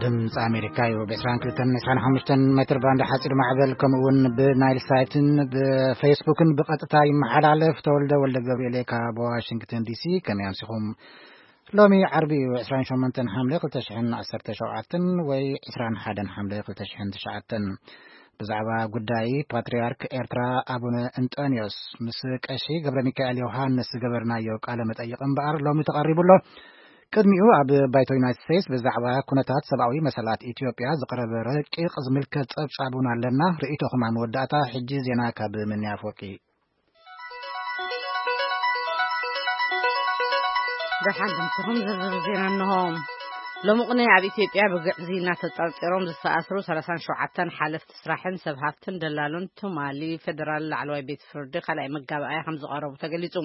ድምፂ ኣሜሪካ እዩ። ብ22 25 ሜትር ባንድ ሓፂር ማዕበል፣ ከምኡ እውን ብናይል ሳይትን ብፌስቡክን ብቐጥታ ይመሓላለፍ። ተወልደ ወልደ ገብርኤል ካብ ዋሽንግተን ዲሲ። ከመይ ኣምሲኹም? ሎሚ ዓርቢ እዩ፣ 28 ሓምለ 2017 ወይ 21 ሓምለ 2009። ብዛዕባ ጉዳይ ፓትርያርክ ኤርትራ ኣቡነ እንጠንዮስ ምስ ቀሺ ገብረ ሚካኤል ዮሃንስ ዝገበርናዮ ቃለ መጠይቕ እምበኣር ሎሚ ተቐሪቡ ኣሎ። ቅድሚኡ ኣብ ባይቶ ዩናይትድ ስቴትስ ብዛዕባ ኩነታት ሰብኣዊ መሰላት ኢትዮጵያ ዝቐረበ ረቂቕ ዝምልከት ጸብጻብ እውን ኣለና። ርእይቶኹም ኣብ መወዳእታ። ሕጂ ዜና ካብ ምንያ ኣፈወርቂ። ደሓን ድምፅኹም ዝርዝር ዜና እንሆ። ሎሚ ቅነ ኣብ ኢትዮጵያ ብግዕዝይና ተጠርጢሮም ዝተኣስሩ 37 ሓለፍቲ ስራሕን ሰብ ሃፍትን ደላሎን ትማሊ ፌደራል ላዕለዋይ ቤት ፍርዲ ካልኣይ መጋባእያ ከም ዝቐረቡ ተገሊጹ።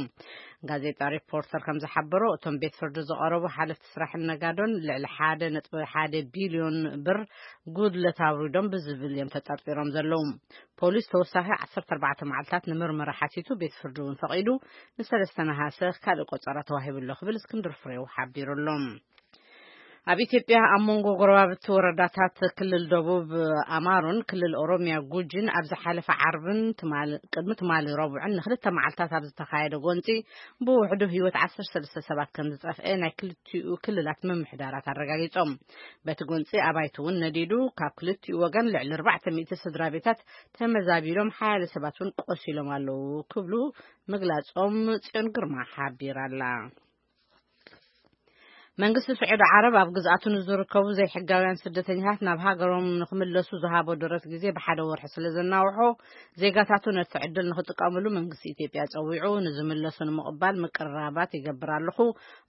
ጋዜጣ ሪፖርተር ከም ዝሓበሮ፣ እቶም ቤት ፍርዲ ዝቐረቡ ሓለፍቲ ስራሕን ነጋዶን ልዕሊ 1.1 ቢልዮን ብር ጉድለት ኣውሪዶም ብዝብል እዮም ተጠርጢሮም ዘለዉ። ፖሊስ ተወሳኺ 14 መዓልታት ንምርመራ ሓቲቱ፣ ቤት ፍርዲ እውን ፈቒዱ፣ ንሰለስተ ነሃሰ ካልእ ቆጸራ ተዋሂቡ ኣሎ ክብል እስክንድር ፍሬው ሓቢሩ ኣሎ። ኣብ ኢትዮጵያ ኣብ መንጎ ጎረባብቲ ወረዳታት ክልል ደቡብ ኣማሮን ክልል ኦሮሚያ ጉጂን ኣብ ዝሓለፈ ዓርብን ትማል-፣ ቅድሚ ትማሊ ረቡዕን ንክልተ መዓልታት ኣብ ዝተኻየደ ጎንጺ ብውሕዱ ህይወት 13 ሰባት ከም ዝጠፍአ ናይ ክልቲኡ ክልላት ምምሕዳራት ኣረጋጊጾም። በቲ ጎንጺ ኣባይቲ እውን ነዲዱ፣ ካብ ክልቲኡ ወገን ልዕሊ 400 ስድራ ቤታት ተመዛቢሎም፣ ሓያለ ሰባት እውን ቆሲሎም ኣለዉ ክብሉ ምግላጾም ጽዮን ግርማ ሓቢራ ኣላ። መንግስቲ ስዑዲ ዓረብ ኣብ ግዝኣቱ ንዝርከቡ ዘይሕጋውያን ስደተኛታት ናብ ሃገሮም ንክምለሱ ዝሃቦ ደረት ግዜ ብሓደ ወርሒ ስለ ዘናውሖ፣ ዜጋታቱ ነቲ ዕድል ንክጥቀምሉ መንግስቲ ኢትዮጵያ ጸዊዑ፣ ንዝምለሱ ንምቕባል ምቅርራባት ይገብር ኣለኹ፣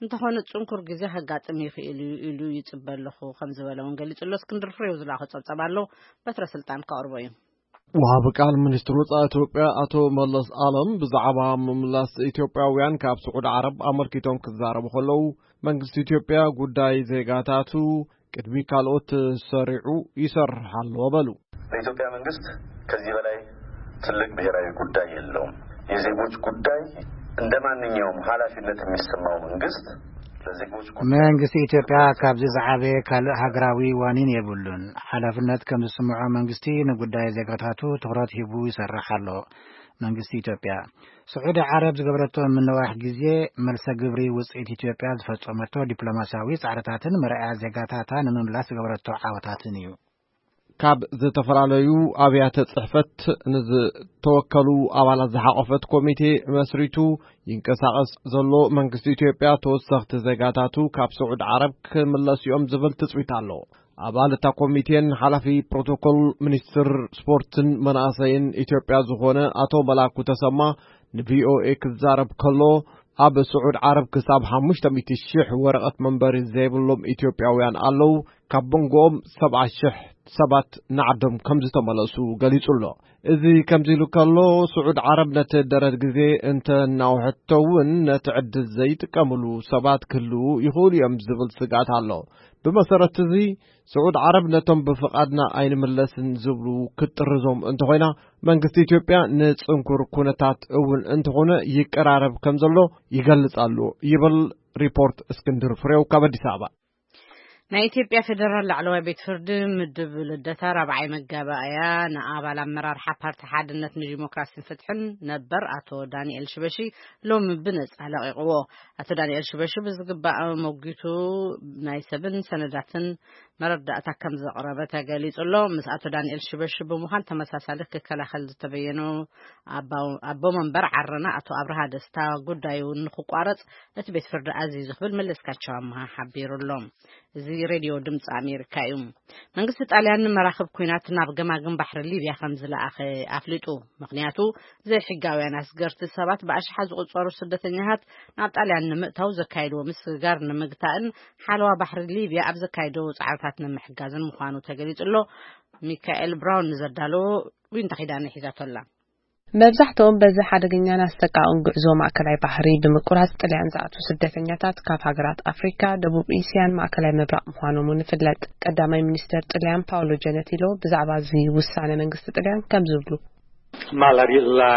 እንተኾነ ጽንኩር ግዜ ከጋጥም ይኽእል እዩ ኢሉ ይጽበ ኣለኹ ከም ዝበለ እውን ገሊጹ ኣሎ። እስክንድር ፍሬው ዝላኾ ጸብጸብ ኣሎ፣ በትረ ስልጣን ከቕርቦ እዩ። ወሃቢ ቃል ሚኒስትር ወጻኢ ኢትዮጵያ ኣቶ መለስ ኣለም ብዛዕባ ምምላስ ኢትዮጵያውያን ካብ ስዑዲ ዓረብ ኣመልኪቶም ክዛረቡ ከለዉ፣ መንግስቲ ኢትዮጵያ ጉዳይ ዜጋታቱ ቅድሚ ካልኦት ሰሪዑ ይሰርሕ ኣሎ በሉ። ለኢትዮጵያ መንግስት ከዚህ በላይ ትልቅ ብሔራዊ ጉዳይ የለውም። የዜጎች ጉዳይ እንደ ማንኛውም ኃላፊነት የሚሰማው መንግስት ለዜጎች ጉዳይ መንግስቲ ኢትዮጵያ ካብዚ ዝዓበየ ካልእ ሃገራዊ ዋኒን የብሉን። ሓላፍነት ከም ዝስምዖ መንግስቲ ንጉዳይ ዜጋታቱ ትኹረት ሂቡ ይሰርሕ ኣሎ። መንግስቲ ኢትዮጵያ ስዑዲ ዓረብ ዝገበረቶ ምንዋሕ ግዜ መልሰ ግብሪ ውፅኢት ኢትዮጵያ ዝፈጸመቶ ዲፕሎማሲያዊ ጻዕርታትን መርኣያ ዜጋታታ ንምምላስ ዝገበረቶ ዓወታትን እዩ። ካብ ዝተፈላለዩ ኣብያተ ጽሕፈት ንዝተወከሉ ኣባላት ዝሓቆፈት ኮሚቴ መስሪቱ ይንቀሳቐስ ዘሎ መንግስቲ ኢትዮጵያ፣ ተወሰኽቲ ዜጋታቱ ካብ ስዑድ ዓረብ ክምለሱ እዮም ዝብል ትጽቢት ኣሎ። ኣባል እታ ኮሚቴን ሓላፊ ፕሮቶኮል ሚኒስትር ስፖርትን መናእሰይን ኢትዮጵያ ዝኾነ ኣቶ መላኩ ተሰማ ንቪኦኤ ክዛረብ ከሎ፣ ኣብ ስዑድ ዓረብ ክሳብ 500,000 ወረቐት መንበሪ ዘይብሎም ኢትዮጵያውያን ኣለዉ። ካብ መንጎኦም 70,000 ሰባት ንዓዶም ከም ዝተመለሱ ገሊጹ ኣሎ። እዚ ከምዚ ኢሉ ከሎ፣ ስዑድ ዓረብ ነቲ ደረት ግዜ እንተ እናውሐቶ እውን ነቲ ዕድል ዘይጥቀምሉ ሰባት ክህልዉ ይኽእሉ እዮም ዝብል ስግኣት ኣሎ። ብመሰረት እዚ፣ ስዑድ ዓረብ ነቶም ብፍቓድና ኣይንምለስን ዝብሉ ክትጥርዞም እንተኾይና፣ መንግስቲ ኢትዮጵያ ንጽንኩር ኩነታት እውን እንተኾነ ይቀራረብ ከም ዘሎ ይገልጽ ኣሎ ይብል ሪፖርት እስክንድር ፍሬው ካብ ኣዲስ ኣበባ። ናይ ኢትዮጵያ ፌደራል ላዕለዋይ ቤት ፍርዲ ምድብ ልደታ ራብዓይ መጋባእያ ንኣባል ኣመራርሓ ፓርቲ ሓድነት ንዲሞክራሲን ፍትሕን ነበር ኣቶ ዳንኤል ሽበሺ ሎሚ ብነጻ ለቒቕዎ። ኣቶ ዳንኤል ሽበሺ ብዝግባእ መጒቱ ናይ ሰብን ሰነዳትን መረዳእታ ከም ዘቕረበ ተገሊጹ ኣሎ። ምስ ኣቶ ዳንኤል ሽበሺ ብምዃን ተመሳሳሊ ክከላኸል ዝተበየኑ ኣባው-፣ ኣቦ መንበር ዓረና ኣቶ ኣብርሃ ደስታ ጉዳዩ ንክቋረጽ እቲ ቤት ፍርዲ ኣዚዙ ክብል መለስካቸው ኣምሃ ሓቢሩ ኣሎ። እዚ ሬድዮ ድምፂ ኣሜሪካ እዩ። መንግስቲ ጣልያን ንመራኽብ ኲናት ናብ ገማግም ባሕሪ ሊብያ ከም ዝለኣኸ ኣፍሊጡ። ምኽንያቱ፣ ዘይሕጋውያን ኣስገርቲ ሰባት ብኣሽሓት ዝቑጸሩ ስደተኛታት ናብ ጣልያን ንምእታው ዘካየድዎ ምስግጋር ንምግታእን ሓለዋ ባሕሪ ሊብያ ኣብ ዘካየድዎ ጻዕርታት ንምሕጋዝን ምዃኑ ተገሊጹ ኣሎ። ሚካኤል ብራውን ንዘዳለዎ ዊንታ ኪዳነ ሒዛቶ ኣላ። መብዛሕትኦም በዚ ሓደገኛን ኣሰቃቕን ጉዕዞ ማእከላይ ባሕሪ ብምቁራጽ ጥልያን ዝኣትዉ ስደተኛታት ካብ ሃገራት ኣፍሪካ፣ ደቡብ እስያን ማእከላይ ምብራቕ ምዃኖም እውን ይፍለጥ። ቀዳማይ ሚኒስተር ጥልያን ፓውሎ ጀነቲሎ ብዛዕባ እዚ ውሳነ መንግስቲ ጥልያን ከም ዝብሉ። Ma la ri-, la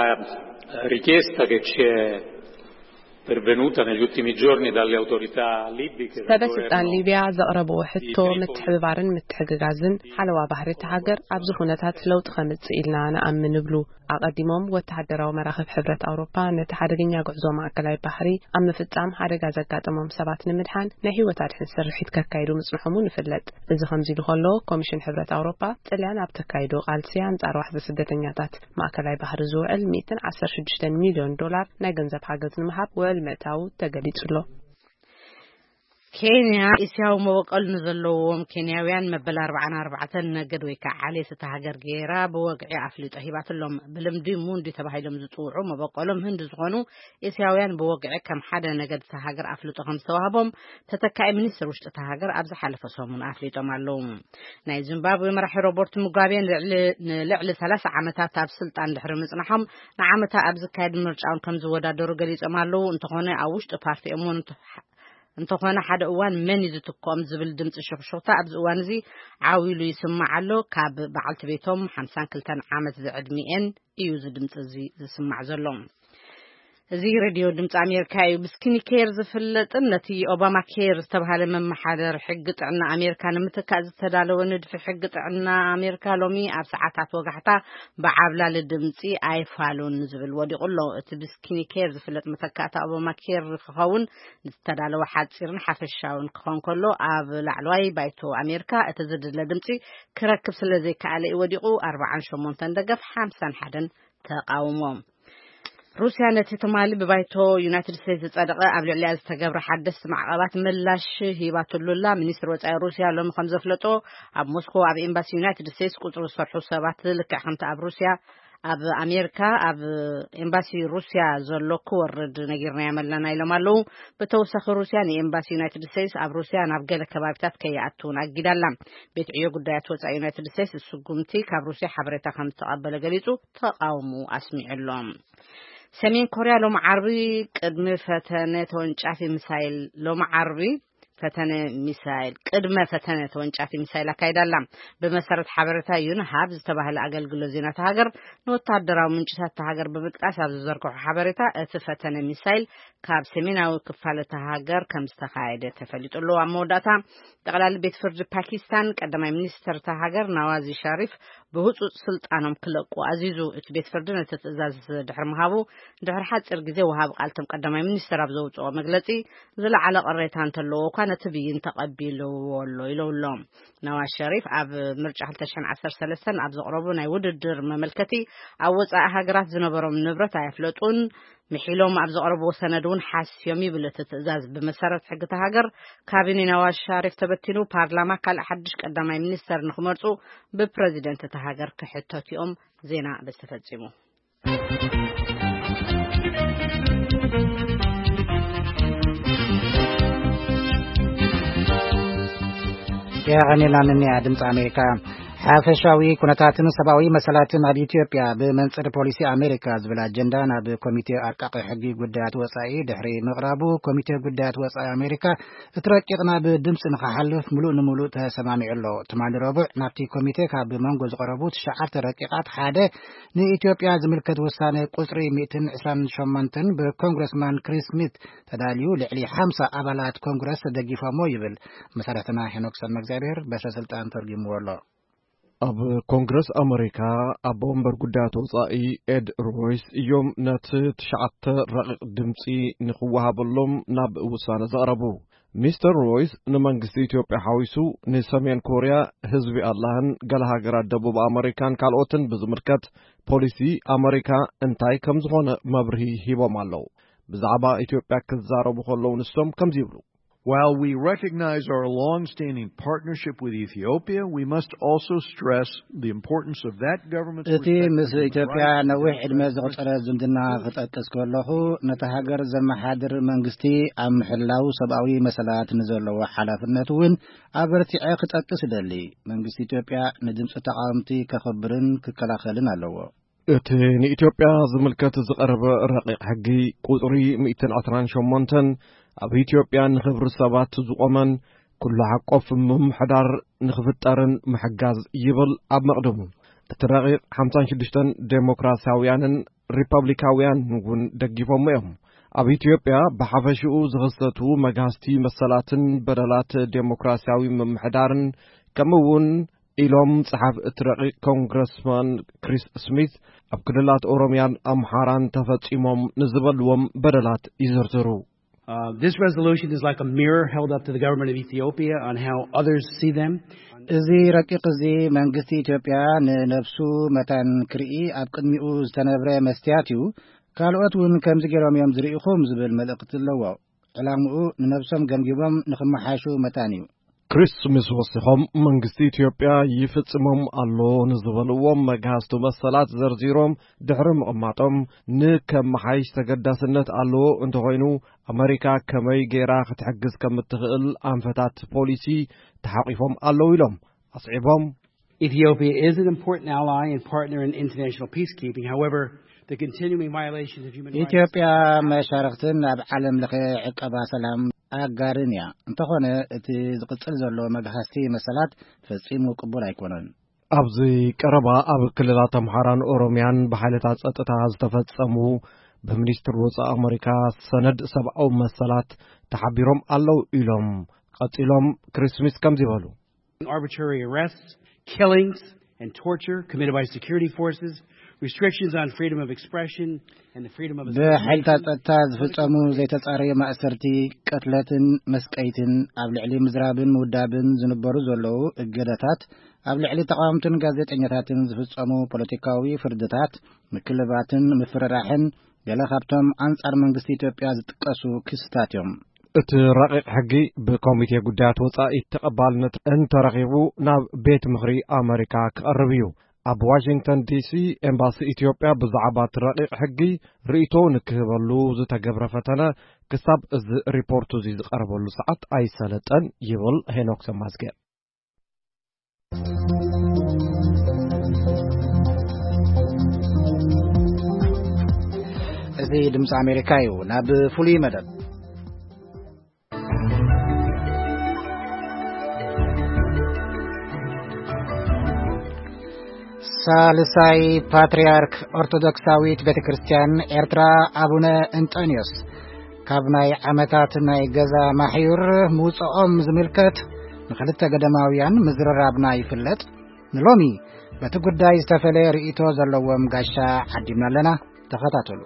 richiesta che ci è pervenuta negli ultimi giorni dalle autorità libiche, del ሰበ ስልጣን governo ሊቢያ ዘቕረብዎ ሕቶ Tripoli. ምትሕብባርን ምትሕግጋዝን ሓለዋ ባህሪ እቲ ሃገር ኣብዚ ኩነታት ለውጢ ከምጽእ ኢልና ንኣምን ይብሉ። ኣቐዲሞም ወተሃደራዊ መራኽብ ሕብረት ኣውሮፓ ነቲ ሓደገኛ ጉዕዞ ማእከላይ ባሕሪ ኣብ ምፍጻም ሓደጋ ዘጋጠሞም ሰባት ንምድሓን ናይ ህይወት ኣድሕን ስርሒት ከካይዱ ምጽንሖም እውን ይፍለጥ። እዚ ከምዚ ኢሉ ከሎ፣ ኮሚሽን ሕብረት ኣውሮፓ ጥልያን ኣብ ተካይዶ ቃልሲ ኣንጻር ዋሕዚ ስደተኛታት ማእከላይ ባሕሪ ዝውዕል ሚእትን ዓሰርተ ሽዱሽተ ሚልዮን ዶላር ናይ ገንዘብ ሓገዝ ንምሃብ ውዕል ምእታዉ ተገሊጹ ኣሎ። ኬንያ እስያዊ መበቆል ንዘለዎም ኬንያውያን መበል ኣርባዓን ኣርባዕተን ነገድ ወይ ከዓ ዓሌት እታ ሃገር ገይራ ብወግዒ ኣፍልጦ ሂባትሎም። ብልምዲ ሙንዲ ተባሂሎም ዝፅውዑ መበቆሎም ህንዲ ዝኾኑ እስያውያን ብወግዒ ከም ሓደ ነገድ እታ ሃገር ኣፍልጦ ከም ዝተዋህቦም ተተካኢ ሚኒስትር ውሽጢ እታ ሃገር ኣብ ዝሓለፈ ሰሙን ኣፍሊጦም ኣለዉ። ናይ ዚምባብዌ መራሒ ሮበርት ሙጋቤ ንልዕሊ ንልዕሊ ሰላሳ ዓመታት ኣብ ስልጣን ድሕሪ ምጽናሖም ንዓመታ ኣብ ዝካየድ ምርጫ እውን ከም ዝወዳደሩ ገሊጾም ኣለዉ። እንተኾነ ኣብ ውሽጢ ፓርቲኦም እውን እንተ- እንተኾነ ሓደ እዋን መን እዩ ዝትክኦም ዝብል ድምፂ ሽኽሽኽታ ኣብዚ እዋን እዚ ዓው ኢሉ ይስማዕ ኣሎ። ካብ በዓልቲ ቤቶም ሓምሳን ክልተን ዓመት ዝዕድሚኤን እዩ እዚ ድምፂ እዚ ዝስማዕ ዘሎ። እዚ ሬድዮ ድምፂ ኣሜሪካ እዩ። ብስኪኒ ኬር ዝፍለጥን ነቲ ኦባማ ኬር ዝተባሃለ መመሓደር ሕጊ ጥዕና ኣሜሪካ ንምትካእ ዝተዳለወ ንድፊ ሕጊ ጥዕና ኣሜሪካ ሎሚ ኣብ ሰዓታት ወጋሕታ ብዓብላሊ ድምፂ ኣይፋሉን ዝብል ወዲቑ ኣሎ። እቲ ብስኪኒ ኬር ዝፍለጥ መተካእታ ኦባማ ኬር ክኸውን ዝተዳለወ ሓፂርን ሓፈሻውን ክኾን ከሎ ኣብ ላዕለዋይ ባይቶ ኣሜሪካ እቲ ዝድለ ድምፂ ክረክብ ስለ ዘይከኣለ እዩ ወዲቑ። ኣርባዓን ሸሞንተን ደገፍ ሓምሳን ሓደን ተቃውሞ። ሩስያ ነቲ ትማሊ ብባይቶ ዩናይትድ ስቴትስ ዝጸደቐ ኣብ ልዕሊያ ዝተገብረ ሓደስቲ ማዕቐባት ምላሽ ሂባትሉ ኣላ። ሚኒስትር ወጻኢ ሩስያ ሎሚ ከም ዘፍለጦ ኣብ ሞስኮ ኣብ ኤምባሲ ዩናይትድ ስቴትስ ቁጽሪ ዝሰርሑ ሰባት ልክዕ ከምቲ ኣብ ሩስያ ኣብ ኣሜሪካ ኣብ ኤምባሲ ሩስያ ዘሎ ክወርድ ነጊርናዮም ኣለና ኢሎም ኣለዉ። ብተወሳኺ ሩስያ ንኤምባሲ ዩናይትድ ስቴትስ ኣብ ሩስያ ናብ ገለ ከባቢታት ከይኣትውን ኣጊዳ ኣላ። ቤት ዕዮ ጉዳያት ወጻኢ ዩናይትድ ስቴትስ ስጉምቲ ካብ ሩስያ ሓበሬታ ከም ዝተቐበለ ገሊጹ ተቓውሞ ኣስሚዑ ኣሎ። ሰሜን ኮርያ ሎም ዓርቢ ቅድሚ ፈተነ ተወንጫፊ ሚሳይል ሎም ዓርቢ ፈተነ ሚሳይል ቅድመ ፈተነ ተወንጫፊ ሚሳይል ኣካይዳ ኣላ። ብመሰረት ሓበሬታ ዩን ሃብ ዝተባህለ ኣገልግሎት ዜና እታ ሃገር ንወታደራዊ ምንጭታት እታ ሃገር ብምጥቃስ ኣብ ዝዘርግሖ ሓበሬታ እቲ ፈተነ ሚሳይል ካብ ሰሜናዊ ክፋል እታ ሃገር ከም ዝተኻየደ ተፈሊጡ ኣሎ። ኣብ መወዳእታ ጠቕላሊ ቤት ፍርዲ ፓኪስታን ቀዳማይ ሚኒስተር እታ ሃገር ናዋዚ ሸሪፍ ብህጹጽ ስልጣኖም ክለቁ ኣዚዙ። እቲ ቤት ፍርዲ ነቲ ትእዛዝ ድሕሪ ምሃቡ ድሕሪ ሓጺር ግዜ ወሃቢ ቃል እቶም ቀዳማይ ሚኒስተር ኣብ ዘውጽኦ መግለጺ ዝለዓለ ቅሬታ እንተለዎ እኳ ነቲ ብይን ተቐቢልዎ ኣሎ ኢሉ ኣሎ። ናዋዝ ሸሪፍ ኣብ ምርጫ ክልተ ሽሕን ዓሰርተ ሰለስተን ኣብ ዘቕረቡ ናይ ውድድር መመልከቲ ኣብ ወጻኢ ሃገራት ዝነበሮም ንብረት ኣየፍለጡን ምሒሎም ኣብ ዘቕረብዎ ሰነድ እውን ሓስዮም ይብል እቲ ትእዛዝ። ብመሰረት ሕጊ እታ ሃገር ካቢኔ ናዋዝ ሸሪፍ ተበቲኑ ፓርላማ ካልእ ሓድሽ ቀዳማይ ሚኒስተር ንክመርጹ ብፕረዚደንት እታ ሃገር ክሕተቱ እዮም። ዜና በዚ ተፈጺሙ። የቐኔላንንያ ድምፂ ኣሜሪካ። ሓፈሻዊ ኩነታትን ሰብኣዊ መሰላትን ኣብ ኢትዮጵያ ብመንፅር ፖሊሲ ኣሜሪካ ዝብል ኣጀንዳ ናብ ኮሚቴ ኣርቃቂ ሕጊ ጉዳያት ወፃኢ ድሕሪ ምቕራቡ፣ ኮሚቴ ጉዳያት ወፃኢ ኣሜሪካ እቲ ረቂቕ ናብ ድምፂ ንክሓልፍ ምሉእ ንምሉእ ተሰማሚዑ ኣሎ። ትማሊ ረቡዕ ናብቲ ኮሚቴ ካብ መንጎ ዝቐረቡ ትሽዓተ ረቂቓት ሓደ ንኢትዮጵያ ዝምልከት ውሳነ ቁፅሪ ሚእትን ዕስራን ሸሞንተን ብኮንግረስማን ክሪስ ስሚት ተዳልዩ ልዕሊ ሓምሳ ኣባላት ኮንግረስ ተደጊፎሞ ይብል። መሰረትና ሄኖክ ሰመ እግዚኣብሔር በሰ ስልጣን ተርጉምዎ ኣሎ። ኣብ ኮንግረስ ኣመሪካ ኣቦ ወንበር ጉዳያት ወጻኢ ኤድ ሮይስ እዮም ነቲ ትሽዓተ ረቂቕ ድምፂ ንክወሃበሎም ናብ ውሳነ ዘቕረቡ። ሚስተር ሮይስ ንመንግስቲ ኢትዮጵያ ሓዊሱ ንሰሜን ኮርያ፣ ህዝቢ ኣላህን ገለ ሃገራት ደቡብ ኣመሪካን ካልኦትን ብዝምልከት ፖሊሲ ኣመሪካ እንታይ ከም ዝኾነ መብርሂ ሂቦም ኣለዉ። ብዛዕባ ኢትዮጵያ ክዛረቡ ከለዉ ንሶም ከምዚ ይብሉ። While we recognize our long-standing partnership with Ethiopia, we must also stress the importance of that government's እቲ ምስ ኢትዮጵያ ነዊሕ ዕድመ ዘቑጸረ ዝምድና ክጠቅስ ከለኹ፣ ነታ ሃገር ዘመሓድር መንግስቲ ኣብ ምሕላው ሰብኣዊ መሰላት ንዘለዎ ሓላፍነት እውን ኣበርቲዐ ክጠቅስ እደሊ። መንግስቲ ኢትዮጵያ ንድምፂ ተቓወምቲ ከኽብርን ክከላኸልን ኣለዎ። እቲ ንኢትዮጵያ ዝምልከት ዝቐረበ ረቂቕ ሕጊ ቁጽሪ ሚእትን ዕስራን ሸሞንተን ኣብ ኢትዮጵያ ንኽብሪ ሰባት ዝቖመን ኩሉ ሓቆፍ ምምሕዳር ንኽፍጠርን ምሕጋዝ ይብል ኣብ መቕድሙ። እቲ ረቂቕ ሓምሳን ሽዱሽተን ዴሞክራሲያውያንን ሪፐብሊካውያን እውን ደጊፎሞ እዮም። ኣብ ኢትዮጵያ ብሓፈሽኡ ዝኽሰቱ መግሃስቲ መሰላትን በደላት ዴሞክራሲያዊ ምምሕዳርን፣ ከምኡ እውን ኢሎም ጸሓፍ እቲ ረቂቕ ኮንግረስማን ክሪስ ስሚት፣ ኣብ ክልላት ኦሮሚያን ኣምሓራን ተፈጺሞም ንዝበልዎም በደላት ይዝርዝሩ። Uh, this resolution is like a mirror held up to the government of Ethiopia on how others see them. እዚ ረቂቕ እዚ መንግስቲ ኢትዮጵያ ንነብሱ መታን ክርኢ ኣብ ቅድሚኡ ዝተነብረ መስትያት እዩ። ካልኦት እውን ከምዚ ገይሮም እዮም ዝርእኹም ዝብል መልእኽቲ ኣለዎ። ዕላምኡ ንነብሶም ገምጊሞም ንኽመሓሹ መታን እዩ። ክሪስ ምስ ወሲኾም፣ መንግስቲ ኢትዮጵያ ይፍጽሞም ኣሎ ንዝበልዎም መግሃስቱ መሰላት ዘርዚሮም ድሕሪ ምቕማጦም፣ ንከመሓይሽ ተገዳስነት ኣለዎ፣ እንተኾይኑ ኣመሪካ ከመይ ገይራ ክትሕግዝ ከም እትኽእል ኣንፈታት ፖሊሲ ተሓቂፎም ኣለዉ ኢሎም ኣስዒቦም። Ethiopia is an important ally and partner in international peacekeeping. However, the continuing violations of human rights ኢትዮጵያ መሻርክትን ኣብ ዓለም ለኸ ዕቀባ ሰላም ኣጋርን እያ። እንተኾነ እቲ ዝቕጽል ዘሎ መግሃስቲ መሰላት ፈጺሙ ቅቡል ኣይኮነን። ኣብዚ ቀረባ ኣብ ክልላት ኣምሓራን ኦሮሚያን ብሓይልታት ጸጥታ ዝተፈጸሙ ብሚኒስትር ወጻኢ ኣመሪካ ሰነድ ሰብኣዊ መሰላት ተሓቢሮም ኣለዉ ኢሎም። ቀጺሎም ክሪስ ስሚት ከምዚ በሉ። Arbitrary arrests, killings, and torture committed by security forces, restrictions on freedom of expression and the freedom of ብሓይልታት ጸጥታ ዝፍጸሙ ዘይተጻረዩ ማእሰርቲ፣ ቅትለትን መስቀይትን፣ ኣብ ልዕሊ ምዝራብን ምውዳብን ዝንበሩ ዘለዉ እገዳታት፣ ኣብ ልዕሊ ተቓወምትን ጋዜጠኛታትን ዝፍጸሙ ፖለቲካዊ ፍርድታት፣ ምክልባትን ምፍርራሕን ገለ ካብቶም ኣንጻር መንግስቲ ኢትዮጵያ ዝጥቀሱ ክስታት እዮም። እቲ ረቂቕ ሕጊ ብኮሚቴ ጉዳያት ወጻኢ ተቐባልነት እንተረኺቡ ናብ ቤት ምኽሪ ኣመሪካ ክቐርብ እዩ። ኣብ ዋሽንግተን ዲሲ ኤምባሲ ኢትዮጵያ ብዛዕባ እቲ ረቂቕ ሕጊ ርእይቶ ንክህበሉ ዝተገብረ ፈተነ ክሳብ እዚ ሪፖርቱ እዚ ዝቐርበሉ ሰዓት ኣይሰለጠን ይብል ሄኖክ ሰማዝጌር። እዚ ድምፂ ኣሜሪካ እዩ። ናብ ፍሉይ መደብ ሳልሳይ ፓትርያርክ ኦርቶዶክሳዊት ቤተ ክርስቲያን ኤርትራ ኣቡነ እንጠንዮስ ካብ ናይ ዓመታት ናይ ገዛ ማሕዩር ምውፅኦም ዝምልከት ንክልተ ገዳማውያን ምዝርራብና ይፍለጥ። ንሎሚ በቲ ጉዳይ ዝተፈለየ ርእይቶ ዘለዎም ጋሻ ዓዲምና ኣለና። ተኸታተሉ።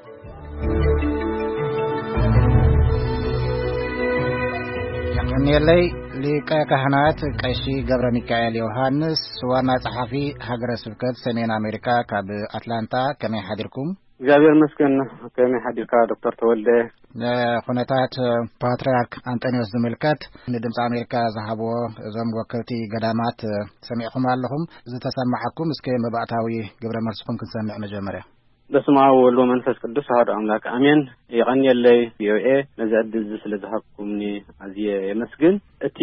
የቐንየለይ ሊቀ ካህናት ቀሺ ገብረ ሚካኤል ዮሃንስ፣ ዋና ጸሓፊ ሃገረ ስብከት ሰሜን ኣሜሪካ ካብ ኣትላንታ፣ ከመይ ሓዲርኩም? እግዚኣብሔር ይመስገን። ከመይ ሓዲርካ ዶክተር ተወልደ? ንኹነታት ፓትርያርክ ኣንጠንዮስ ዝምልከት ንድምፂ ኣሜሪካ ዝሃብዎ እዞም ወከልቲ ገዳማት ሰሚዕኹም ኣለኹም። ዝተሰማዓኩም እስከ መባእታዊ ግብረ መልስኹም ክንሰምዕ መጀመርያ። በስመ አብ ወወልድ ወመንፈስ ቅዱስ አሐዱ አምላክ አሜን። የቐንየለይ ቪኦኤ ነዚ ዕድል እዚ ስለ ዝሃብኩምኒ ኣዝየ የመስግን። እቲ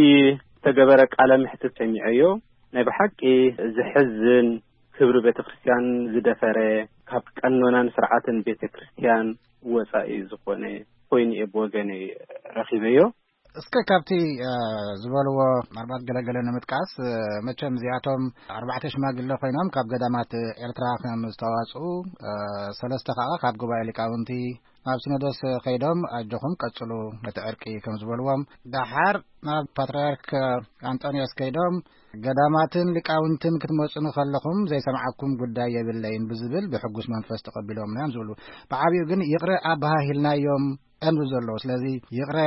ዝተገበረ ቃለ መሕትት ሰሚዐዮ። ናይ ብሓቂ ዘሕዝን፣ ክብሪ ቤተ ክርስቲያን ዝደፈረ፣ ካብ ቀኖናን ስርዓትን ቤተ ክርስቲያን ወጻኢ ዝኾነ ኮይኑ እየ ብወገነይ ረኺበዮ። እስከ ካብቲ፣ እ፣ ዝበልዎ ምናልባት ገለገለ ንምጥቃስ፣ እ፣ መቸም እዚኣቶም ኣርባዕተ ሽማግለ ኮይኖም ካብ ገዳማት ኤርትራ ከም ዝተዋጽኡ፣ እ፣ ሰለስተ ከኣ ካብ ጉባኤ ሊቃውንቲ ናብ ሲኖዶስ ከይዶም ኣጆኹም ቀጽሉ ነቲ ዕርቂ ከም ዝበልዎም፣ ደሓር ናብ ፓትርያርክ ኣንጠንዮስ ከይዶም ገዳማትን ሊቃውንትን ክትመጹኒ ከለኹም ዘይሰምዓኩም ጉዳይ የብለይን ብዝብል ብሕጉስ መንፈስ ተቐቢሎምና እዮም ዝብሉ። ብዓቢኡ ግን ይቕረ ኣበሃሂልናዮም እዮም ዝብሉ ዘለዉ። ስለዚ ይቕረ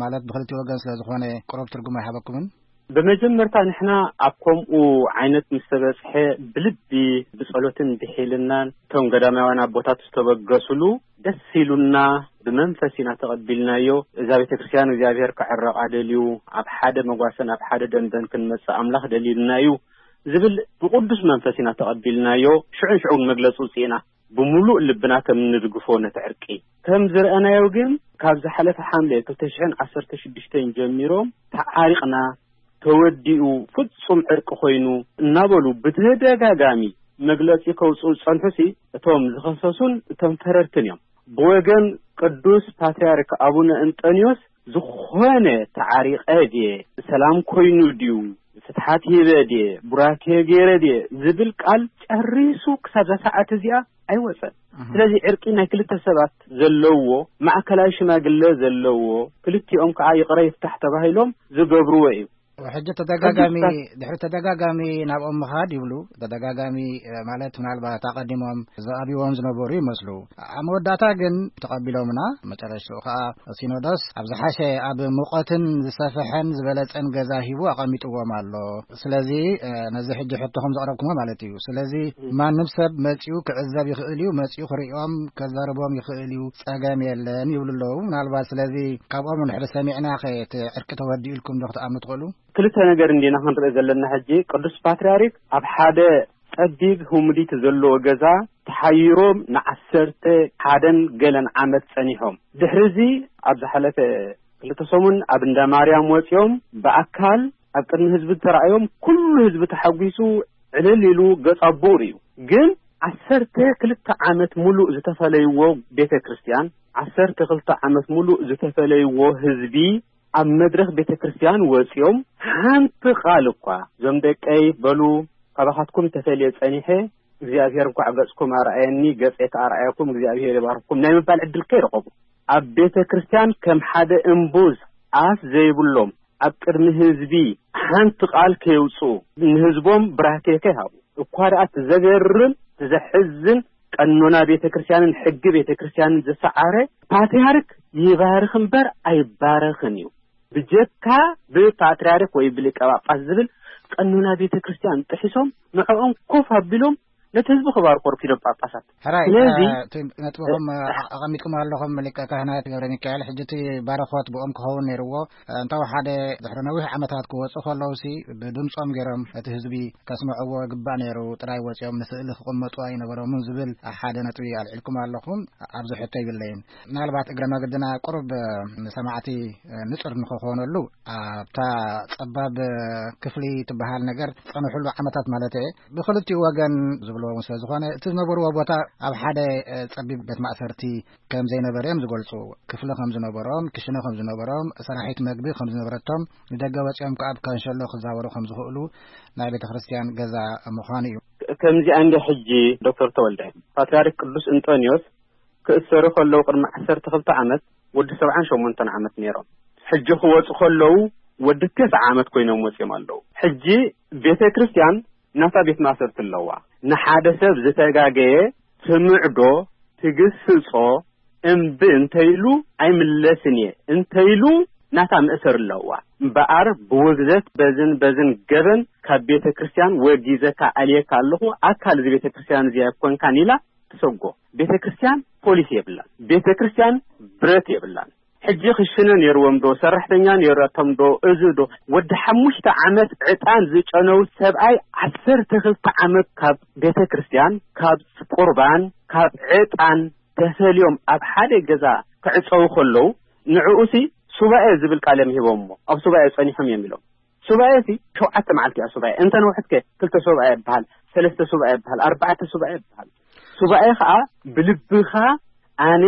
ማለት ብክልቲኡ ወገን ስለ ዝኾነ ቁሩብ ትርጉም ኣይሃበኩምን? ብመጀመርታ ንሕና ኣብ ከምኡ ዓይነት ምስ ተበጽሐ ብልቢ ብጸሎትን ብሒልናን እቶም ገዳማውያን ኣቦታት ዝተበገሱሉ ደስ ኢሉና ብመንፈስ ኢና ተቐቢልናዮ። እዛ ቤተ ክርስቲያን እግዚኣብሔር ክዕረቓ ደልዩ፣ ኣብ ሓደ መጓሰን ኣብ ሓደ ደንበን ክንመጽእ ኣምላኽ ደልዩልና እዩ ዝብል ብቕዱስ መንፈስ ኢና ተቐቢልናዮ። ሽዑን ሽዑን መግለጺ ውጽኢና ብምሉእ ልብና ከም እንድግፎ ነቲ ዕርቂ። ከም ዝረኣናዮ ግን ካብ ዝሓለፈ ሓምለ ክልተ ሽሕን ዓሰርተ ሽዱሽተን ጀሚሮም ተዓሪቕና፣ ተወዲኡ ፍጹም ዕርቂ ኮይኑ እናበሉ ብተደጋጋሚ መግለጺ ከውጽኡ ዝጸንሑሲ፣ እቶም ዝኸሰሱን እቶም ፈረድትን እዮም። ብወገን ቅዱስ ፓትርያርክ ኣቡነ እንጠንዮስ ዝኾነ ተዓሪቐ ድየ፣ ሰላም ኮይኑ ድዩ፣ ፍትሓት ሂበ ድየ፣ ቡራኬ ገይረ ድየ ዝብል ቃል ጨሪሱ ክሳብ እዛ ሰዓት እዚኣ ኣይወፀን። ስለዚ ዕርቂ ናይ ክልተ ሰባት ዘለዎ፣ ማእከላይ ሽማግለ ዘለዎ፣ ክልቲኦም ከዓ ይቕረ ይፍታሕ ተባሂሎም ዝገብርዎ እዩ። ሕጂ ተደጋጋሚ፣ ድሕሪ ተደጋጋሚ ናብኦም ምኻድ ይብሉ። ተደጋጋሚ ማለት ምናልባት ኣቐዲሞም ዝኣብይዎም ዝነበሩ ይመስሉ። ኣብ መወዳእታ ግን ተቐቢሎምና። መጨረሽትኡ ከዓ ሲኖዶስ ኣብ ዝሓሸ፣ ኣብ ሙቐትን ዝሰፈሐን ዝበለጸን ገዛ ሂቡ ኣቐሚጥዎም ኣሎ። ስለዚ ነዚ ሕጂ ሕቶኹም ዘቕረብኩሞ ማለት እዩ። ስለዚ ማንም ሰብ መጺኡ ክዕዘብ ይኽእል እዩ፣ መጺኡ ክርእዮም ከዛርቦም ይኽእል እዩ፣ ጸገም የለን ይብሉ ኣለዉ። ምናልባት ስለዚ ካብኦም ንድሕሪ ሰሚዕና ኸ እቲ ዕርቂ ተወዲኡ ኢልኩም ዶ ክትኣምኑ ትኽእሉ? ክልተ ነገር እንዲና ክንርኢ ዘለና። ሕጂ ቅዱስ ፓትርያርክ ኣብ ሓደ ጸቢብ ህሙዲት ዘለዎ ገዛ ተሓይሮም ንዓሰርተ ሓደን ገለን ዓመት ጸኒሖም። ድሕሪ እዚ ኣብ ዝሓለፈ ክልተ ሰሙን ኣብ እንዳ ማርያም ወጺኦም ብኣካል ኣብ ቅድሚ ህዝቢ ተራእዮም፣ ኩሉ ህዝቢ ተሓጒሱ ዕልል ኢሉ ገጽ ኣቦኡ ርእዩ። ግን ዓሰርተ ክልተ ዓመት ሙሉእ ዝተፈለይዎ ቤተ ክርስቲያን፣ ዓሰርተ ክልተ ዓመት ሙሉእ ዝተፈለይዎ ህዝቢ ኣብ መድረኽ ቤተ ክርስቲያን ወጺኦም ሓንቲ ቃል እኳ፣ "እዞም ደቀይ በሉ፣ ካባኻትኩም ተፈልየ ጸኒሐ፣ እግዚኣብሔር እንኳዕ ገጽኩም ኣርኣየኒ፣ ገጸይ ከኣ ኣርኣየኩም፣ እግዚኣብሔር ይባርኩም" ናይ ምባል ዕድል ከይረኸቡ፣ ኣብ ቤተ ክርስቲያን ከም ሓደ እምቡዝ ኣፍ ዘይብሎም ኣብ ቅድሚ ህዝቢ ሓንቲ ቃል ከየውጽኡ፣ ንህዝቦም ብራኬ ከይሃቡ፣ እኳ ደኣ እቲ ዘገርም፣ እቲ ዘሕዝን፣ ቀኖና ቤተ ክርስቲያንን ሕጊ ቤተ ክርስቲያንን ዝሰዓረ ፓትርያርክ ይባርኽ እምበር ኣይባረኽን እዩ። ብጀካ ብፓትርያርክ ወይ ብሊቀ ጳጳስ ዝብል ቀኖና ቤተ ክርስቲያን ጥሒሶም ንዕኦም ኮፍ ኣቢሎም ነቲ ህዝቢ ክባርኮ ረኪዶም ጳጳሳት። ሕራይ፣ ስለዚ፣ እ፣ እቲ ነጥብኹም፣ እ፣ ኣቐሚጥኩም ኣለኹም ሊቀ ካህናት ገብረ ሚካኤል። ሕጂ እቲ ባረኾት ብኦም ክኸውን ነይርዎ። እ፣ እንተወሓደ ድሕሪ ነዊሕ ዓመታት ክወፁ ከለውሲ ብድምፆም ገይሮም እቲ ህዝቢ ከስምዕዎ ይግባእ ነይሩ። ጥራይ ወፂኦም ንስእሊ ክቕመጡ ኣይነበሮምን ዝብል ሓደ ነጥቢ ኣልዒልኩም ኣለኹም። ኣብዚ ሕቶ ይብለይን። ምናልባት እግረ መገድና ቁሩብ ንሰማዕቲ ንጹር ንኽኾነሉ፣ ኣብታ ጸባብ ክፍሊ ትበሃል ነገር ዝጸንሕሉ ዓመታት ማለት እየ፣ ብኽልቲኡ ወገን ዝብልዎ እውን ስለ ዝኾነ፣ እቲ ዝነበርዎ ቦታ ኣብ ሓደ ጸቢብ ቤት ማእሰርቲ ከም ዘይነበረ እዮም ዝገልጹ። ክፍሊ ከም ዝነበሮም፣ ክሽነ ከም ዝነበሮም፣ ሰራሒት መግቢ ከም ዝነበረቶም፣ ንደገ ወጺኦም ከኣ ኣብ ካንሸሎ ክዛወሩ ከም ዝኽእሉ ናይ ቤተ ክርስቲያን ገዛ ምዃኑ እዩ። ከምዚኣ እንደ ሕጂ ዶክተር ተወልደ፣ ፓትርያርክ ቅዱስ እንጦንዮስ ክእሰሩ ከለዉ ቅድሚ ዓሰርተ ክልተ ዓመት ወዲ ሰብዓን ሸሞንተን ዓመት ነይሮም። ሕጂ ክወጹ ከለዉ ወዲ ተስዓ ዓመት ኮይኖም ወጺኦም ኣለዉ። ሕጂ ቤተ ክርስቲያን ናታ ቤት ማእሰርቲ ኣለዋ። ንሓደ ሰብ ዝተጋገየ ትምዕዶ፣ ትግስጾ፣ እምቢ እንተይሉ ኣይምለስን እየ እንተይሉ ናታ መእሰር ኣለዋ። እምበኣር ብውግዘት በዝን በዝን ገበን ካብ ቤተ ክርስቲያን ወጊዘካ ኣልየካ ኣለኹ፣ ኣካል እዚ ቤተ ክርስቲያን እዚ ኣይኮንካን ኢላ ትሰጎ። ቤተ ክርስቲያን ፖሊስ የብላን። ቤተ ክርስቲያን ብረት የብላን። ሕጂ ክሽነ ነይርዎም ዶ፣ ሰራሕተኛ ነይራቶም ዶ፣ እዚ ዶ፣ ወዲ ሓሙሽተ ዓመት ዕጣን ዝጨነው ሰብኣይ ዓሰርተ ክልተ ዓመት ካብ ቤተ ክርስቲያን፣ ካብ ቁርባን፣ ካብ ዕጣን ተፈልዮም ኣብ ሓደ ገዛ ክዕጸው ከለዉ፣ ንዕኡሲ ሱባኤ ዝብል ቃል እዮም ሂቦምዎ። ኣብ ሱባኤ ጸኒሖም እዮም ኢሎም። ሱባኤ ሲ ሸውዓተ መዓልቲ እያ ሱባኤ። እንተ ነውሕት ከ ክልተ ሱባኤ ይበሃል፣ ሰለስተ ሱባኤ ይበሃል፣ ኣርባዕተ ሱባኤ ይበሃል። ሱባኤ ኸኣ ብልብኻ ኣነ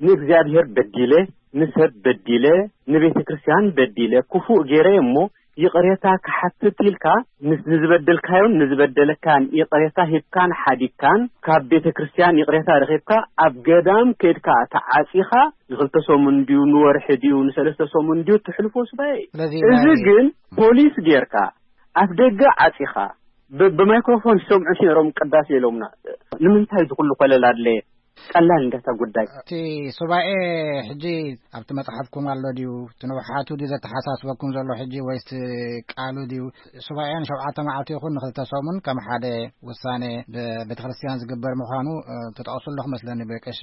ንእግዚኣብሔር በዲለ፣ ንሰብ በዲለ፣ ንቤተ ክርስቲያን በዲለ፣ ክፉእ ገይረ እሞ ይቕሬታ ክሓትት ኢልካ ምስ ንዝበደልካዮን ንዝበደለካን ይቕሬታ ሂብካን ሓዲግካን ካብ ቤተ ክርስቲያን ይቕሬታ ረኺብካ ኣብ ገዳም ከድካ ተዓጺኻ ንኽልተ ሰሙን ድዩ ንወርሒ ድዩ ንሰለስተ ሰሙን ድዩ ትሕልፎ ሱባኤ እዩ። ስለዚ እዚ ናይ ግን ፖሊስ ጌርካ ኣፍ ደገ ዓጺኻ ብ-፣ ብማይክሮፎን ይሰምዑ ነይሮም ቅዳሴ ኢሎምና። ንምንታይ እዚ ኩሉ ኮለል ኣድለየ? ቀላል እንዳታ ጉዳይ። እቲ ሱባኤ ሕጂ ኣብቲ መጽሓፍኩም ኣሎ ድዩ? እቲ ንውሓቱ ድዩ ዘተሓሳስበኩም ዘሎ ሕጂ ወይስ ቃሉ ድዩ? ሱባኤ ንሸውዓተ መዓልቲ ይኹን ንኽልተ ሰሙን ከም ሓደ ውሳኔ ብቤተ ክርስቲያን ዝግበር ምዃኑ፣ እ፣ ትጠቕሱ ኣለኹ መስለኒ ብቀሺ።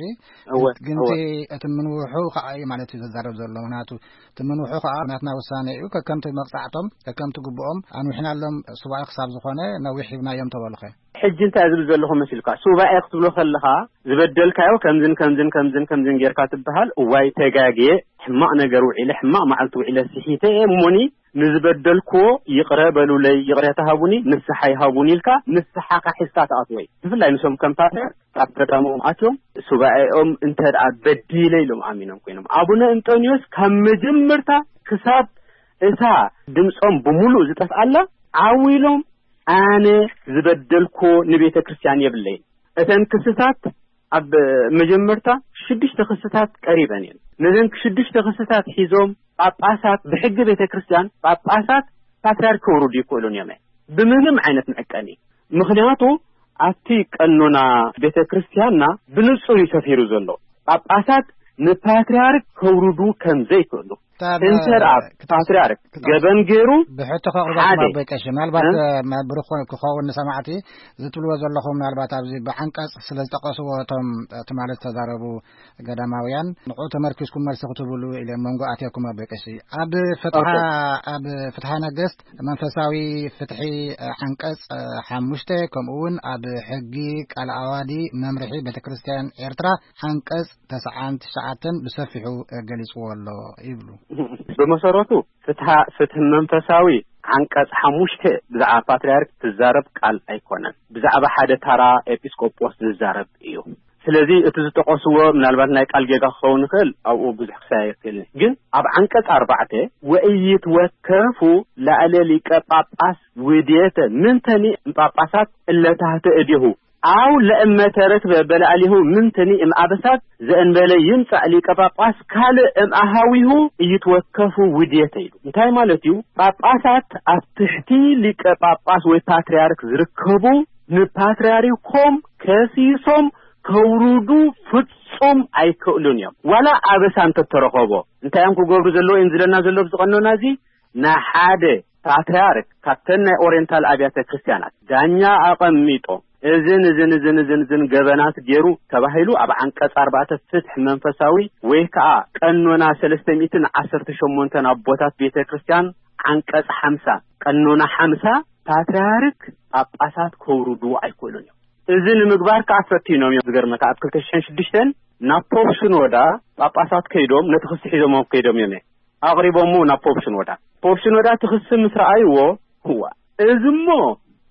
እወ፣ ግን እቲ፣ እወ። እቲ ምንውሑ ከኣ እዩ ማለት እዩ ዘዛረብ ዘሎ። ምኽንያቱ እቲ ምንውሑ ከኣ ናትና ውሳኔ እዩ። ከከምቲ መቕጻዕቶም፣ ከከምቲ ግብኦም ኣንዊሕናሎም ሱባኤ ክሳብ ዝኾነ ነዊሕ ሂብናዮም ተበሉኸ? ሕጂ እንታይ ዝብል ዘለኹ መሲልካ? ሱባኤ ክትብሎ ከለኻ ዝበደልካዮ ከምዝን ከምዝን ከምዝን ከምዝን ጌርካ ትበሃል። እዋይ ተጋግየ፣ ሕማቕ ነገር ውዒለ፣ ሕማቕ መዓልቲ ውዒለ ስሒተ እየ እሞኒ ንዝበደልክዎ ይቕረ በሉለይ፣ ይቕሬታ ሃቡኒ፣ ንስሓ ይሃቡኒ ኢልካ ንስሓኻ ሒዝካ ትኣትዎ እዩ። ብፍላይ ንሶም ከም ፓትርያርክ ኣብ ገዳሞም ኣትዮም ሱባኤኦም እንተ ደኣ በዲለ ኢሎም ኣሚኖም ኮይኖም። ኣቡነ እንጦንዮስ ካብ መጀመርታ ክሳብ እታ ድምጾም ብምሉእ ዝጠፍኣላ ዓው ኢሎም ኣነ ዝበደልኮ ንቤተ ክርስቲያን የብለይን። እተን ክስታት ኣብ መጀመርታ ሽዱሽተ ክስታት ቀሪበን እየን። ነዘን ሽዱሽተ ክስታት ሒዞም ጳጳሳት ብሕጊ ቤተ ክርስቲያን ጳጳሳት ፓትርያርክ ከውርዱ ይክእሉን እዮም፣ ብምንም ዓይነት መዕቀኒ። ምኽንያቱ ኣብቲ ቀኖና ቤተ ክርስቲያንና ብንጹር እዩ ሰፊሩ ዘሎ። ጳጳሳት ንፓትርያርክ ከውርዱ ከም ዘይክእሉ እንተ ደኣ ፓትርያርክ ገበን ገይሩ ብሕቶ ከቕርበኩም ሓደ ኣቦይ ቀሺ፣ ምናልባት እ? መ- ብሩኽ ክኸውን ንሰማዕቲ ዝትብልዎ ዘለኹም፣ ምናልባት ኣብዚ ብዓንቀጽ ስለ ዝጠቐስዎ እቶም ትማሊ ዝተዛረቡ ገዳማውያን ንዕኡ ተመርኪስኩም መልሲ ክትብሉ ኢለ መንጎ ኣትየኩም ኣቦይ ቀሺ። ኣብ ፍትሓ ኦኬ። ኣብ ፍትሓ ነገስት መንፈሳዊ ፍትሒ ዓንቀጽ ሓሙሽተ፣ ከምኡ እውን ኣብ ሕጊ ቃል ኣዋዲ መምርሒ ቤተ ክርስቲያን ኤርትራ ዓንቀጽ ተስዓን ትሽዓተን ብሰፊሑ ገሊጽዎ ኣሎ ይብሉ። ብመሰረቱ ፍትሓ ፍትሒ መንፈሳዊ ዓንቀጽ ሓሙሽተ ብዛዕባ ፓትርያርክ ትዛረብ ቃል ኣይኮነን። ብዛዕባ ሓደ ታራ ኤጲስቆጶስ ዝዛረብ እዩ። ስለዚ እቲ ዝጠቐስዎ ምናልባት ናይ ቃል ጌጋ ክኸውን ይኽእል፣ ኣብኡ ብዙሕ ክሳየ ይኽእል። ግን ኣብ ዓንቀጽ ኣርባዕተ ወእይት ወከፉ ላዕለ ሊቀ ጳጳስ ውድየተ ምንተኒ ጳጳሳት እለታህተ እዲሁ ኣው ለእመ ተረክበ በላዕሊሁ ምንትኒ እም ኣበሳት ዘእንበለ ይምጻእ ሊቀ ጳጳስ ካልእ እም ኣሃዊሁ እይትወከፉ ውድየተ ኢሉ። እንታይ ማለት እዩ? ጳጳሳት ኣብ ትሕቲ ሊቀ ጳጳስ ወይ ፓትርያርክ ዝርከቡ ንፓትርያርኮም ከሲሶም ከውርዱ ፍጹም ኣይክእሉን እዮም። ዋላ ኣበሳ እንተተረኸቦ እንታይ እዮም ክገብሩ ዘለዎ እዮም ዝለና ዘሎ ኣብዚ ቀኖና እዚ ንሓደ ፓትርያርክ ካብተን ናይ ኦሪየንታል ኣብያተ ክርስቲያናት ዳኛ ኣቐሚጦም እዝን እዝን እዝን እዝን እዝን ገበናት ገይሩ ተባሂሉ ኣብ ዓንቀጽ ኣርባዕተ ፍትሕ መንፈሳዊ ወይ ከዓ ቀኖና ሰለስተ ሚእትን ዓሰርተ ሸሞንተን ኣቦታት ቤተ ክርስቲያን ዓንቀጽ ሓምሳ ቀኖና ሓምሳ ፓትርያርክ ጳጳሳት ከውርዱ ኣይክእሉን እዮም። እዚ ንምግባር ከዓ ፈቲኖም እዮም። ዝገርመካ ኣብ ክልተ ሽሕን ሽዱሽተን ናብ ፖፕ ሽኖዳ ጳጳሳት ከይዶም ነቲ ክሲ ሒዞም ከይዶም እዮም ኣቕሪቦሞ ናብ ፖፕ ሽኖዳ። ፖፕ ሽኖዳ እቲ ክሲ ምስ ረኣይዎ እዋ እዚ እሞ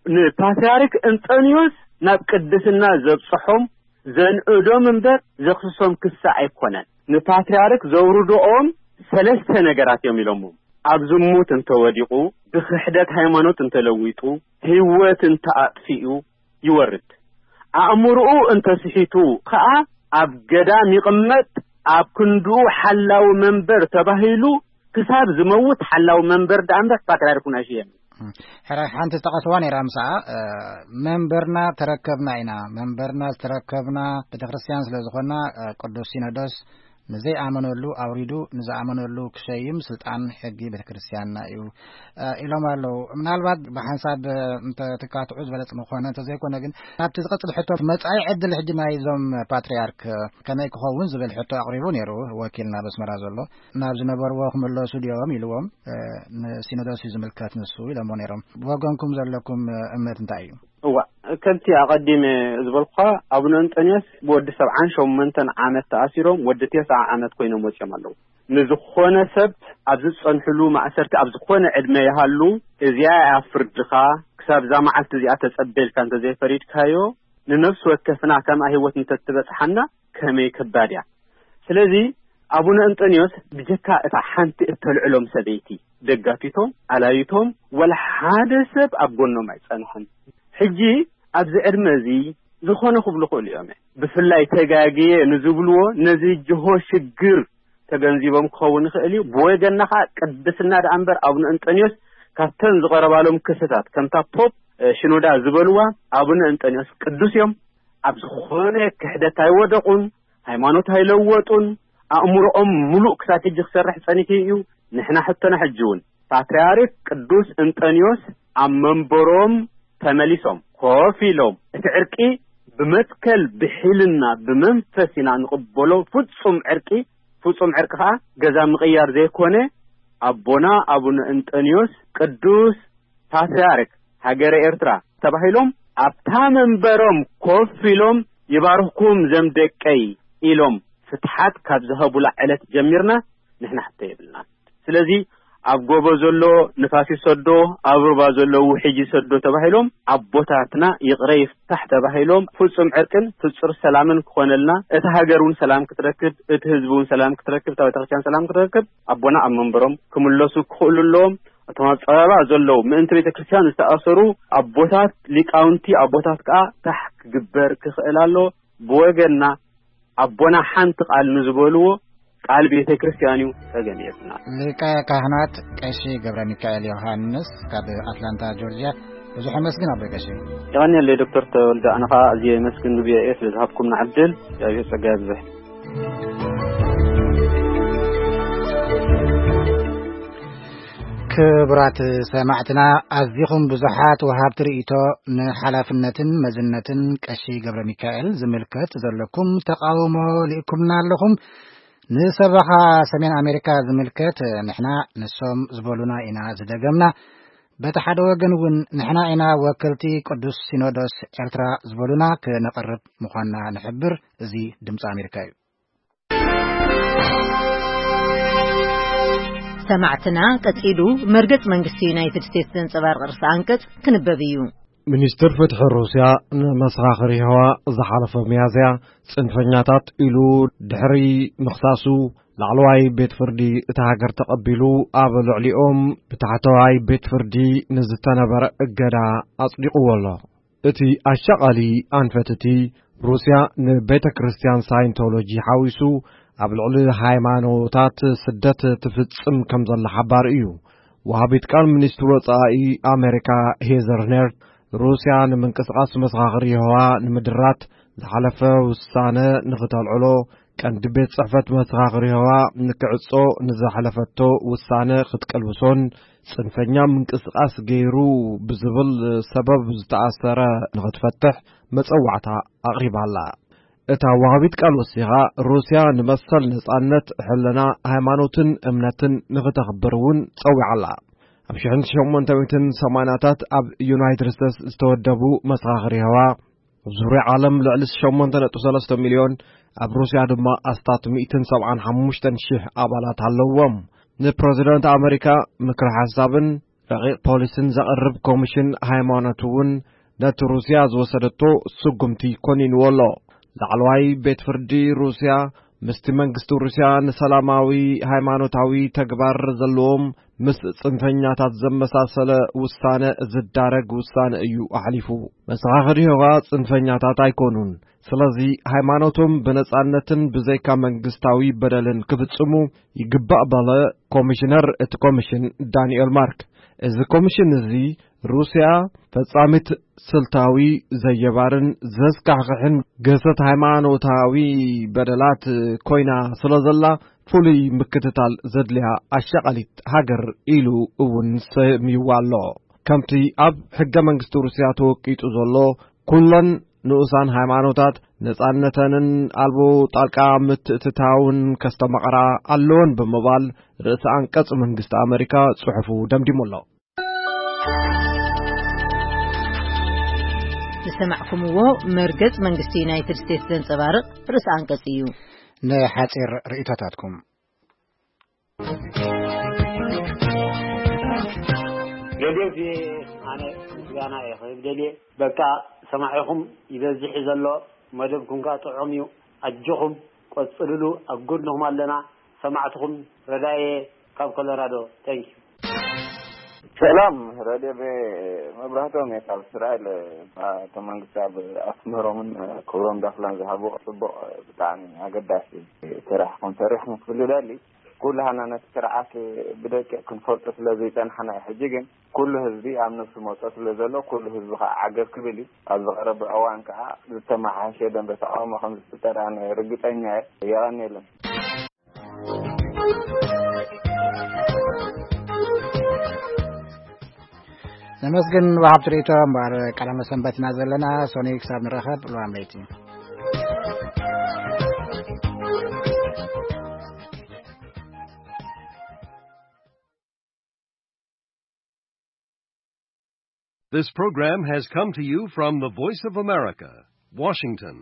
ንፓትርያርክ እንጠንዮስ ናብ ቅድስና ዘብጽሖም ዘንእዶም እምበር ዘኽስሶም ክሲ ኣይኮነን። ንፓትርያርክ ዘውርድኦም ሰለስተ ነገራት እዮም ኢሎሞም። ኣብ ዝሙት እንተወዲቑ፣ ብክሕደት ሃይማኖት እንተለዊጡ፣ ህይወት እንተኣጥፊኡ ይወርድ። ኣእምርኡ እንተስሒቱ ከኣ ኣብ ገዳም ይቕመጥ፣ ኣብ ክንድኡ ሓላዊ መንበር ተባሂሉ ክሳብ ዝመውት ሓላዊ መንበር ደኣ እምበር ፓትርያርክ እውን ኣይሽየምን። ሕራይ ሓንቲ ዝጠቐስዋ ነይራ ምስኣ፣ እ፣ መንበርና ተረከብና ኢና። መንበርና ዝተረከብና ቤተክርስትያን ስለ ዝኾና፣ እ፣ ቅዱስ ሲኖዶስ ንዘይኣመነሉ ኣውሪዱ ንዝኣመነሉ ክሸይም ስልጣን ሕጊ ቤተክርስትያንና እዩ፣ እ፣ ኢሎም ኣለዉ። ምናልባት ብሓንሳብ፣ እ፣ እንተ ትካትዑ ዝበለጽ ምኾነ፣ እንተዘይኮነ ግን ናብቲ ዝቐጽል ሕቶ መጻኢ ዕድል ሕጂ ናይዞም ፓትርያርክ፣ እ፣ ከመይ ክኸውን ዝብል ሕቶ ኣቕሪቡ ነይሩ ወኪልና በስመራ ዘሎ። ናብ ዝነበርዎ ክምለሱ ድዮም ኢልዎም፣ እ፣ ንሲኖዶስ እዩ ዝምልከት ንሱ ኢሎሞ ነይሮም። ብወገንኩም ዘለኩም፣ እ፣ እምነት እንታይ እዩ? እዋ፣ ከምቲ ኣቐዲመ ዝበልኩኻ ኣቡነ እንጠንዮስ ብወዲ ሰብዓን ሸሞንተን ዓመት ተኣሲሮም ወዲ ተስዓ ዓመት ኮይኖም ወጺኦም ኣለዉ። ንዝኾነ ሰብ ኣብ ዝጸንሕሉ ማእሰርቲ ኣብ ዝኾነ ዕድመ ይሃሉ እዚኣ እያ ፍርድኻ፣ ክሳብ እዛ መዓልቲ እዚኣ ተጸበልካ እንተዘይፈሪድካዮ ንነፍሲ ወከፍና ከምኣ ህይወት እንተትበጽሓና ከመይ ከባድ እያ። ስለዚ ኣቡነ እንጠንዮስ ብጀካ እታ ሓንቲ እተልዕሎም ሰበይቲ ደጋፊቶም ኣላይቶም ወላ ሓደ ሰብ ኣብ ጎኖም ኣይጸንሐን። ሕጂ ኣብዚ ዕድመ እዚ ዝኾነ ክብሉ ክእሉ እዮም። ብፍላይ ተጋግየ ንዝብልዎ ነዚ ጅሆ ሽግር ተገንዚቦም ክኸውን ይኽእል እዩ። ብወገንና ከዓ ቅድስና ደኣ እምበር ኣቡነ እንጠንዮስ ካብተን ዝቐረባሎም ክስታት ከምታ ፖፕ ሽኖዳ ዝበልዋ ኣቡነ እንጠንዮስ ቅዱስ እዮም። ኣብ ዝኾነ ክሕደት ኣይወደቑን፣ ሃይማኖት ኣይለወጡን፣ ኣእምሮኦም ምሉእ ክሳብ ሕጂ ክሰርሕ ጸኒሑ እዩ። ንሕና ሕቶና ሕጂ እውን ፓትርያርክ ቅዱስ እንጠንዮስ ኣብ መንበሮም ተመሊሶም ኮፍ ኢሎም እቲ ዕርቂ ብመትከል ብሒልና ብመንፈስ ኢና ንቕበሎ። ፍጹም ዕርቂ ፍጹም ዕርቂ ኸኣ ገዛ ምቕያር ዘይኮነ ኣቦና ኣቡነ እንጠንዮስ ቅዱስ ፓትርያርክ ሃገረ ኤርትራ ተባሂሎም ኣብታ መንበሮም ኮፍ ኢሎም ይባርኽኩም ዘም ደቀይ ኢሎም ፍትሓት ካብ ዝሀቡላ ዕለት ጀሚርና ንሕና ሕቶ የብልናን። ስለዚ ኣብ ጎቦ ዘሎ ንፋስ ይሰዶ፣ ኣብ ሩባ ዘሎ ውሕጅ ይሰዶ ተባሂሎም ኣቦታትና ይቕረ ይፍታሕ ተባሂሎም ፍጹም ዕርቅን ፍጹር ሰላምን ክኾነልና እቲ ሃገር እውን ሰላም ክትረክብ እቲ ህዝቢ እውን ሰላም ክትረክብ እታ ቤተክርስትያን ሰላም ክትረክብ ኣቦና ኣብ መንበሮም ክምለሱ ክኽእሉ ኣለዎም። እቶም ኣብ ጸበባ ዘለዉ ምእንቲ ቤተ ክርስቲያን ዝተኣሰሩ ኣቦታት፣ ሊቃውንቲ ኣቦታት ከኣ ታሕ ክግበር ክኽእል ኣሎ። ብወገንና ኣቦና ሓንቲ ቃል ንዝበልዎ ቃል ቤተ ክርስቲያን እዩ። ጸገም የብልና። ሊቀ ካህናት ቀሺ ገብረ ሚካኤል ዮሃንስ ካብ ኣትላንታ ጆርጅያ፣ ብዙሕ ኣመስግን ኣቦይ ቀሺ። የቐንየለይ ዶክተር ተወልደ፣ ኣነ ኸኣ ኣዝየ የመስግን ን ቪኦኤ ስለ ዝሃብኩምና ዕድል። እግዚኣብሔር ጸጋ የብዝሕ። ክቡራት ሰማዕትና፣ ኣዚኹም ብዙሓት ወሃብቲ ርእይቶ ንሓላፍነትን መዝነትን ቀሺ ገብረ ሚካኤል ዝምልከት ዘለኩም ተቓውሞ ልኢኩምና ኣለኹም። ንሰበኻ ሰሜን ኣሜሪካ ዝምልከት ንሕና ንሶም ዝበሉና ኢና ዝደገምና። በቲ ሓደ ወገን እውን ንሕና ኢና ወከልቲ ቅዱስ ሲኖዶስ ኤርትራ ዝበሉና ክነቕርብ ምዃንና ንሕብር። እዚ ድምፂ ኣሜሪካ እዩ። ሰማዕትና ቀጺሉ መርገጽ መንግስቲ ዩናይትድ ስቴትስ ዘንጸባርቕ ርእሰ ኣንቀጽ ክንበብ እዩ። ሚኒስትር ፍትሒ ሩስያ ንመሰኻኽር የሆዋ ዝሓለፈ ሚያዝያ ጽንፈኛታት ኢሉ ድሕሪ ምኽሳሱ፣ ላዕለዋይ ቤት ፍርዲ እታ ሃገር ተቐቢሉ ኣብ ልዕሊኦም ብታሕተዋይ ቤት ፍርዲ ንዝተነበረ እገዳ ኣጽዲቕዎ ኣሎ። እቲ ኣሻቓሊ ኣንፈት እቲ ሩስያ ንቤተ ክርስቲያን ሳይንቶሎጂ ሓዊሱ ኣብ ልዕሊ ሃይማኖታት ስደት ትፍጽም ከም ዘላ ሓባሪ እዩ። ወሃቢት ቃል ሚኒስትሪ ወጻኢ ኣሜሪካ ሄዘር ኔርት፣ ሩስያ ንምንቅስቓስ መሰኻኽር የሆዋ ንምድራት ዝሓለፈ ውሳነ ንኽተልዕሎ ቀንዲ ቤት ጽሕፈት መሰኻኽር የሆዋ ንክዕጾ ንዘሕለፈቶ ውሳነ ክትቅልብሶን ጽንፈኛ ምንቅስቓስ ገይሩ ብዝብል ሰበብ ዝተኣሰረ ንኽትፈትሕ መጸዋዕታ ኣቕሪባ'ላ። እታ ወሃቢት ቃል ወሲኻ፣ ሩስያ ንመሰል ነጻነት፣ ሕልና፣ ሃይማኖትን እምነትን ንኽተኽብር እውን ጸዊዓ'ላ። ኣብ ሽሕን ሸሞንተ ሚእትን ሰማንያታት ኣብ ዩናይትድ ስቴትስ ዝተወደቡ መሰኻኽር የሆዋ፣ ኣብ ዙርያ ዓለም ልዕሊ ሸሞንተ ነጥቢ ሰለስተ ሚልዮን፣ ኣብ ሩስያ ድማ ኣስታት ሚእትን ሰብዓን ሓሙሽተን ሽሕ ኣባላት ኣለዎም። ንፕረዚደንት ኣመሪካ ምክሪ ሓሳብን ረቂቕ ፖሊስን ዘቕርብ ኮሚሽን ሃይማኖት እውን ነቲ ሩስያ ዝወሰደቶ ስጉምቲ ኮኒንዎ ኣሎ። ላዕለዋይ ቤት ፍርዲ ሩስያ ምስቲ መንግስቲ ሩስያ ንሰላማዊ ሃይማኖታዊ ተግባር ዘለዎም ምስ ጽንፈኛታት ዘመሳሰለ ውሳነ ዝዳረግ ውሳነ እዩ ኣሕሊፉ። መሰኻኽር የሆዋ ጽንፈኛታት ኣይኮኑን። ስለዚ ሃይማኖቶም ብነጻነትን ብዘይካ መንግስታዊ በደልን ክፍጽሙ ይግባእ በለ ኮሚሽነር እቲ ኮሚሽን ዳንኤል ማርክ። እዚ ኮሚሽን እዚ ሩስያ ፈጻሚት ስልታዊ ዘየባርን ዘስካሕክሕን ገሰት ሃይማኖታዊ በደላት ኮይና ስለ ዘላ ፍሉይ ምክትታል ዘድልያ ኣሻቓሊት ሃገር ኢሉ እውን ሰምይዋ ኣሎ። ከምቲ ኣብ ሕገ መንግስቲ ሩስያ ተወቂጡ ዘሎ ኩለን ንኡሳን ሃይማኖታት ነጻነተንን ኣልቦ ጣልቃ ምትእትታውን ከስተማቕራ ኣለወን ብምባል ርእሰ ኣንቀጽ መንግስቲ ኣመሪካ ጽሑፉ ደምዲሙ ኣሎ። ዝሰማዕኩምዎ መርገጽ መንግስቲ ዩናይትድ ስቴትስ ዘንጸባርቕ ርእሰ ኣንቀጽ እዩ። ንሓጺር ርእይቶታትኩም። ሬድዮ ቪኦኤ፣ ኣነ ምስጋና እየ ክህብ ደልየ። በቃ ሰማዒኹም ይበዝሕ እዩ ዘሎ፣ መደብኩም ከኣ ጥዑም እዩ። ኣጆኹም ቀጽልሉ፣ ኣብ ጎድንኹም ኣለና። ሰማዕትኹም ረዳየ ካብ ኮሎራዶ። ታንክ ዩ። ሰላም፣ ሬድዮ ቪኦኤ፣ መብራህቶም እየ ካብ እስራኤል። ኣቶ መንግስቲ ኣብ ኣስመሮምን ክብሮም ዳፍላን ዝሃብዎ ጽቡቕ፣ ብጣዕሚ ኣገዳሲ ስራሕ ከም ሰሪሕኩም ክፍሊ ደሊ። ኩላህና ነቲ ስርዓት ብደቂቕ ክንፈልጦ ስለ ዘይጸናሕና እዩ። ሕጂ ግን ኩሉ ህዝቢ ኣብ ነፍሱ መጾ ስለ ዘሎ፣ ኩሉ ህዝቢ ከኣ ዓገብ ክብል እዩ። ኣብ ዝቐረበ እዋን ከኣ ዝተመሓየሸ ደንበ ተቃውሞ ከም ዝፍጠር ኣነ ርግጸኛ እየ። የቐንየለን። ነመስግን ወሃብቲ ርእይቶ። እምበኣር ቀዳመ ሰንበት ኢና ዘለና። ሶኒ ክሳብ ንራኸብ፣ ልዋም ለይቲ። This program has come to you from the Voice of America, Washington.